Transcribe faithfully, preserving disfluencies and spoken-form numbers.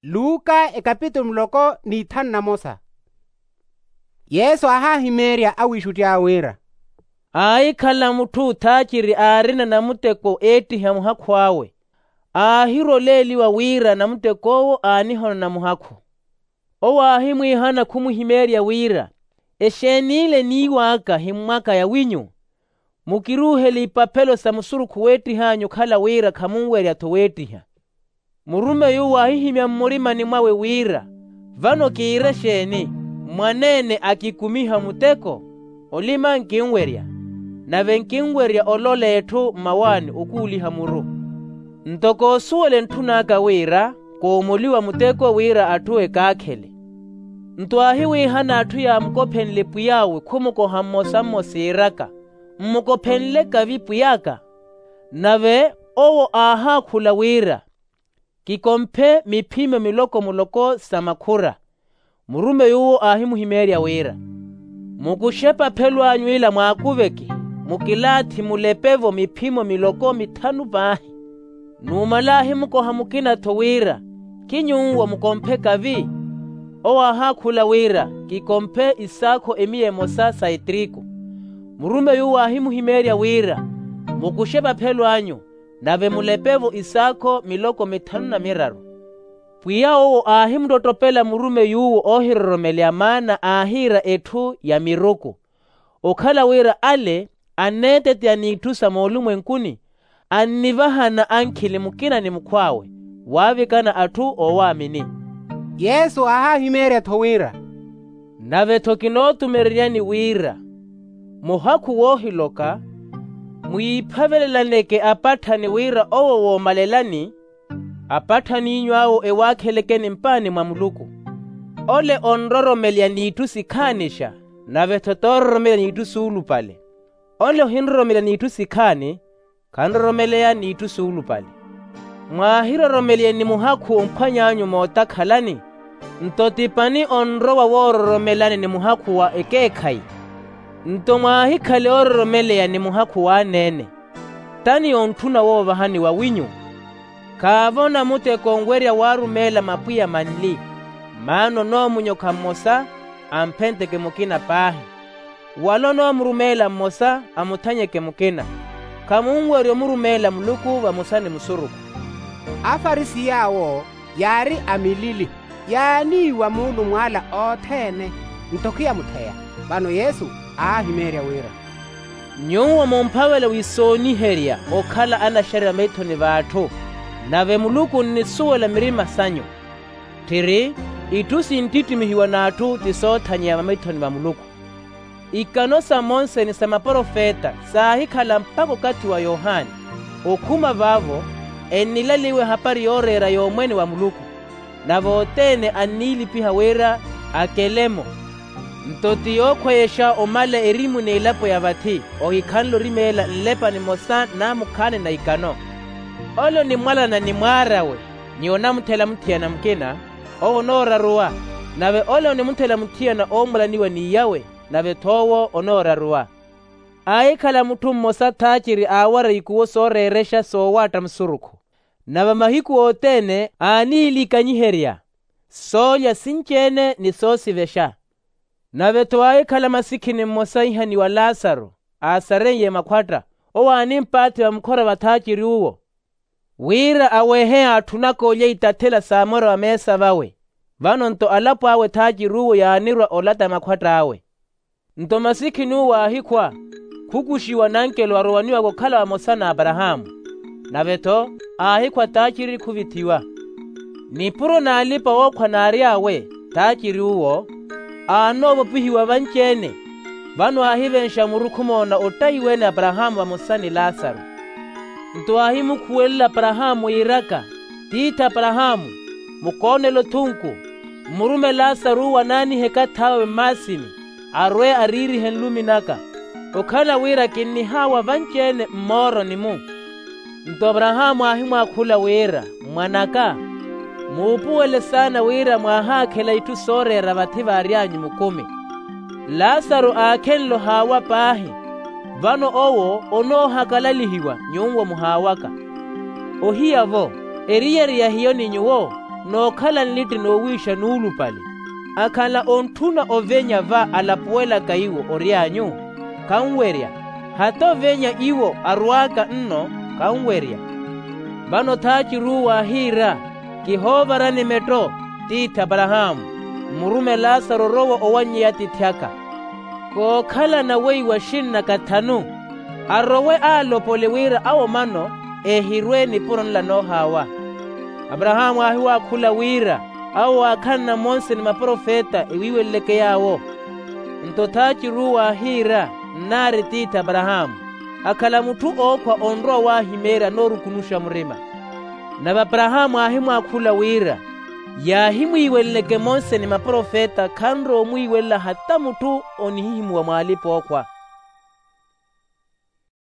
Luka ekapitulu muloko n'ithanu na mosa. Yesu aahahimeerya awiixutty'awe wira, aahikhala mutthu thaaciri aarina namuteko eettiha muhakhu awe. Aahirwa oleeliwa wira namutek'owo aanihonona muhakhu. Owo aahimwiihana khumuhimeerya wira, exeeni ile eniiw'aka himmwaka ya winyu? Mukiruuhele ipaphelo sa musurukhu weettih'anyu okhala wira khamunwerya-tho weettiha. Murumeyi uwo aahihimya mmurimani mwawe wira, vano kiire exeeni? Mwaneene akikumiha muteko? Olima nkinwerya, nave nkinwerya olola etthu mmawaani okuuliha muru. Nto koosuwela entthun'aka wira koomoliwa muteko wira atthu ekaakhele. Nto aahiwiihana atthu yaamukophenle pwiy'awe khumukoha mmosa mmosa iiraka, mmukophenle kavi pwiy'aka. Nave owo aahaakhula wira, kikomphe miphimo miloko muloko sa makhura. Murumeyi uwo aahimuhimeerya wira, mukuxe epaphelo anyu ila mwaakuveke, mukilaathi mulepe-vo miphimo miloko mithanu paahi. Numala aahimukoha mukina-tho wira, kinyuwo mukomphe kavi? Owo aahaakhula wira, kikomphe isaakho emiya emosa sa etriku. Murumeyi uwo aahimuhimeerya wira, mukuxe epaphelo anyu, nave mulepe-vo isaakho miloko mithanu na miraru. Pwiya owo aahimuttottopela murumeyi uwo oohiroromeleya maana aahiira etthu ya miruku, okhala wira ale anneeteteya n'itthu sa moolumwenkuni, annivahana ankhili mukina ni mukhw'awe, waavikana atthu oowaamini. Yesu aahahimeerya-tho wira, nave-tho kinootumereryani wira, muhakhu woohiloka, mwiiphavelelaneke apatthani wira owo woomalelani, apatthani'inyu awo ewaakhelekeni mpaani mwa muluku. Ole onroromeleya n'itthu sikhaanixa, nave-tho toororomeleya n'itthu suulupale. Ole ohinroromeleya n'itthu sikhaani, khanroromeleya n'itthu suulupale. Mwaahiroromeleyeni muhakhu omphwany'anyu mootakhalani, nto ti pani onrowa woororomelani ni muhakhu wa ekeekhayi. Nto mwaahikhale oororomeleya ni muhakhu w'aneene, tani ontthuna woovahaniwa winyu. Khaavo namuteko onwerya waarumeela mapwiya manli, maana onoomunyokha mmosa, amphenteke mukina paahi. Wala onoomurumeela mmosa, amuthanyeke mukina. Khamunwerya omurumeela muluku vamosa ni musurukhu. Afarisi yaawo yaari amilili, yaaniiwa muulumw'ala othene, nto khiyamutheya. Vano yesu aahimeerya wira, nyuwo mumphavela wisooniherya okhala anaxerya maithoni v'atthu, nave muluku onnisuwela mirima sanyu. Tthiri, itthu sinttittimihiwa n'atthu ti soothanyeya vamaithoni va muluku. Ikano sa monseni sa maprofeta saahikhala mpakha okathi wa yohani. Okhuma vaavo, ennilaliwa ehapari yooreera y'omwene wa muluku, nave othene anniilipiha wira akele-mo. Nto ti yookhweyexa omala erimu n'elapo ya vathi, ohikhanle orimeela nlepa nimosa n'amukhaani na ikano. Ole onimwalana ni mwaar'awe, ni onamuthela muthiyana mukina, owo onooraruwa. Nave ole onimuthela muthiyana oomwalaniwa n'iy'awe, nave-tho owo onooraruwa. Aahikhala mutthu mmosa thaaciri aawara ikuwo sooreerexa soowaatta musurukhu, nave mahiku othene aaniilikanyiherya soolya sinci-ene ni soosivexa. Nave-tho aahikhala masikhini mmosa ihaniwa lasaru, aasareiye makhwatta, owo aanimpaathi vamukhora va thaaciri uwo, wira awehe atthunaka olya itathela saamora vameesa vawe. Vano-nto alapo awe thaaciri uwo yaanirwa olata makhwatt'awe. Nto masikhini uwo aahikhwa, khukuxiwa n'ankelo arowaniwaka okhala vamosa n'aparahaamu. Nave-tho aahikhwa thaaciri khuvithiwa. Nipuro n'alipa-wookhwa naary'awe, thaaciri uwo aanoovopihiwa vanci-ene. Vano aahivenxa muru khumoona ottahiwe ni aparahaamu vamosa ni lasaru. Nto aahimukhuwelela aparahaamu wiiraka, tiithi aparahaamu, mukoonele othunku, mmurume lasaru uwo anaanihe ekathi awe mmaasini, arwe ariirihe nlumi naka, okhala wira kinnihaawa vanci-ene mmooroni-mu. Nto aparahaamu aahimwaakhula wira, mwan'aka, muupuwele saana wira mwaahaakhela itthu sooreera vathi vaary'anyu mukumi. Lasaru aakhenle ohaawa paahi, vano owo onoohakalalihiwa nyuwo muhaawaka. Ohiya-vo, eriyari ya hiyo ni nyuwo? nookhala nlitti noowiixa nuulupale. Akhala ontthuna ovenya va alapuwelaka iwo ory'anyu? Khanwerya. Hata ovenya iwo arwaaka nno? Khanwerya. Vano thaaciruuwa aahiira, kihoovarani metto, tiithi aparahaamu, mmurume laasaro orowa owanny'eya atiithi aka. Kookhalana weiwa xinnaka thanu, arowe aalopole wira awo mano eehirwe nipuro nla noohaawa. Aparahaamu aahiwaakhula wira, awo waakhanna monse ni maprofeta ewiiweleleke yaawo. Nto thaaciruuwa aahiira, nnaari tiithi aparahaamu, akhala mutthu ookhwa onrowa waahimeerya noorukunuxa murima. Nave aparahaamu aahimwaakhula wira, yaahimwiiweleleke monse ni maprofeta khanrowa omwiiwelela hata mutthu onihihimuwa mw'alipa-ookhwa.